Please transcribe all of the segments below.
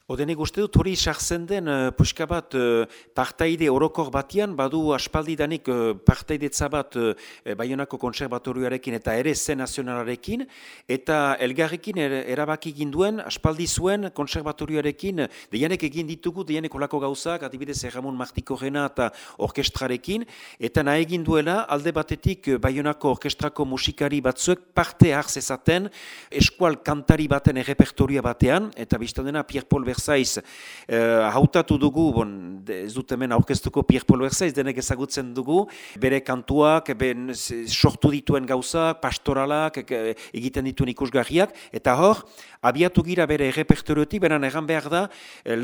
Odenik uste dut hori sartzen den puska bat partaide orokor batian, badu aspaldidanik partaidetza bat Baionako Kontserbatorioarekin eta ere Zen Nazionalarekin, eta elgarrekin erabaki ginduen, aspaldi zuen Kontserbatorioarekin, deianek egin ditugu, deianek olako gauzak, adibidez Ramon Martikorena eta orkestrarekin, eta nahi egin duela alde batetik Baionako orkestrako musikari batzuek parte hartzezaten eskual kantari baten errepertoria batean, eta biztan dena Pierre Paul Versaiz hautatu dugu, ez dut hemen aurkeztuko Pierre Paul Versaiz, denek ezagutzen dugu, bere kantuak, sortu dituen gauzak, pastoralak, egiten dituen ikusgarriak, eta hor, abiatu gira bere errepertoriotik, beran egan behar da,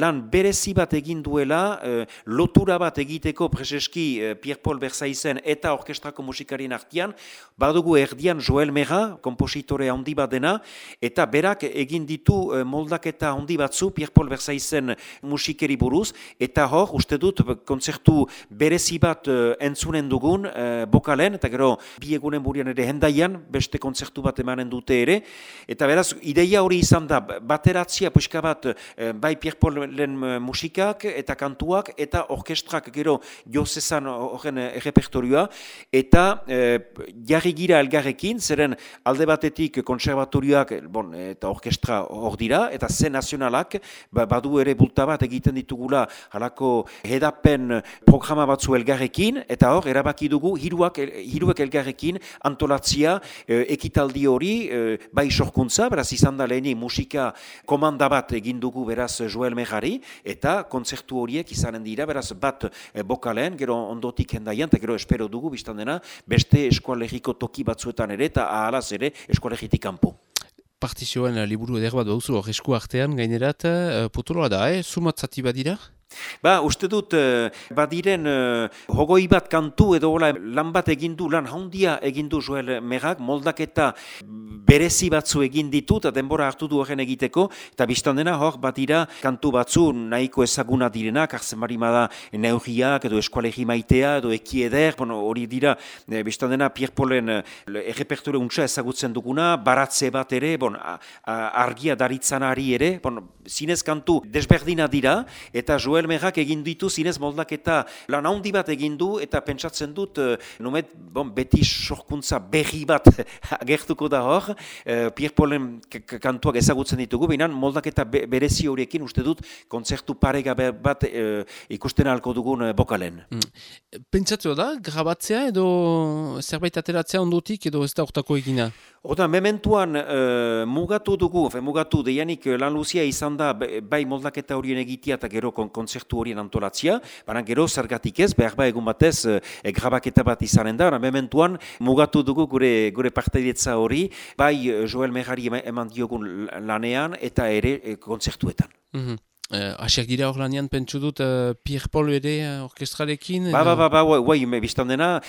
lan berezi bat egin duela, lotura bat egiteko preseski Pierre Paul Versaizen eta orkestrako musikarien artean, badugu erdian Joel Mera, kompositore handi bat dena, eta berak egin ditu moldaketa handi batzu Pierre Paul Versaizen musikeri buruz, eta hor, uste dut, kontzertu berezi bat entzunen dugun bokalen, eta gero bi egunen burian ere hendaian, beste kontzertu bat emanen dute ere, eta beraz, ideia hori izan da, bateratzia puska bat bai Pierre Paulen musikak eta kantuak, eta orkestrak gero jozezan horren repertorioa, eta jarri gira elgarrekin, zeren alde batetik konservatorioak eta orkestra hor dira, eta Zen Nazionalak, badu ere bulta bat egiten ditugula halako hedapen programa batzu elgarrekin, eta hor, erabaki dugu hiruek elgarrekin antolatzia ekitaldi hori, bai sorkuntza, beraz izan da leheni musika komanda bat egin dugu beraz Joel Merari, eta kontzertu horiek izanen dira, beraz bat bokalen, gero ondotik hendaian, eta gero espero dugu, biztan dena, beste eskualeriko toki batzuetan ere, eta ahalaz ere eskualeritik kanpo. Partizioen liburu eder bat duzu hor esku artean gainerat, potoloa da, sumatzati badira? Uste dut, badiren hogoi bat kantu edo lan bat egindu, lan handia egindu Joel Merak, moldaketa berezi batzu egin ditu, eta denbora hartu du horren egiteko, eta biztan dena hor badira kantu batzu nahiko ezaguna direnak, hartzen barimada neurriak edo eskualegi maitea edo ekieder, hori dira, biztan dena Pierre Paulen errepertore untsa ezagutzen duguna, baratze bat ere, argia daritzanari ere, zinez kantu desberdina dira, eta Joel Merak egin ditu zinez moldaketa lan handi bat egin du, eta pentsatzen dut beti sorkuntza berri bat agertuko da hor, Pierre Paulen kantuak ezagutzen ditugu, baina moldaketa berezi horiekin uste dut kontzertu paregabe bat ikusten ahalko dugun bokalen. Pentsatu da, grabatzea edo zerbait ateratzea ondotik edo ez da hortako egina? Oda, mementuan mugatu deianik lan luzia izan da bai moldaketa horien egitea eta gero kontzertu horien antolatzia, baina gero zergatik ez, behar egun batez grabaketa bat izanen da, mementuan mugatu dugu gure partaidetza hori, bai Joel Merari eman diogun lanean eta ere kontzertuetan. Asiak dira hor lanean pentsu dut Pierre Paul ere orkestrarekin? Biztan dena,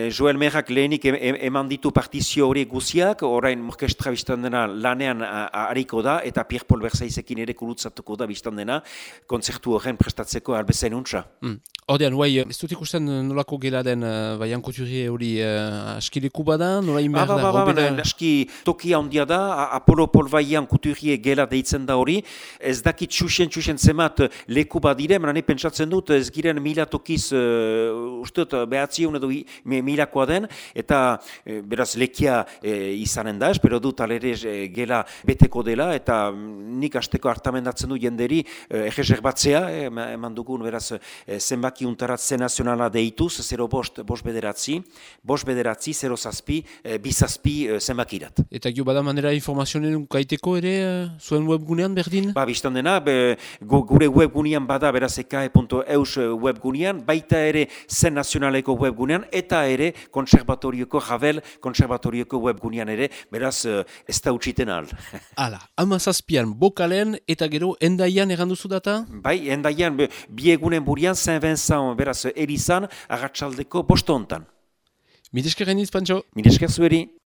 Joel Merak lehenik eman ditu partizio hori guziak, orain orkestra biztan dena lanean hariko da, eta Pierre Paul Versaizekin ere kurutzatuko da biztan dena, kontzertu horren prestatzeko albezain untsa. Ordean, ez dut ikusten nolako gela den Baian Couturier hori askileku bada, nola inber da? Aski tokia handia da, Apollo Paul Baian Couturier gela deitzen da hori, ez dakit txusen zemat leku badire, menane pentsatzen dut ez giren mila tokiz ustot behatziun edo milakoa den, eta beraz lekia izanen da, espero dut alere gela beteko dela, eta nik asteko hartamendatzen du jenderi egezer batzea, eman dugun beraz zenbaki untarat Zen Nazionala deituz, 0 bost bederatzi, 0 zazpi, bizazpi zenbakirat. Eta gio bada manera informazioen kaiteko ere zuen webgunean berdin? Biztan dena, gure webgunean bada beraz ekae.eus webgunean, baita ere Zen Nazionaleko webgunean, eta ere Ravel konserbatorioko webgunean ere, beraz ez da utxiten ahal. Hala, 17an bokalen eta gero hendaian eganduzu data? Bai, hendaian bi egunen burian Saint-Vincent beraz erizan, arratsaldeko 5 hontan. Mil esker gainiz, Pantxo? Mil esker zueri.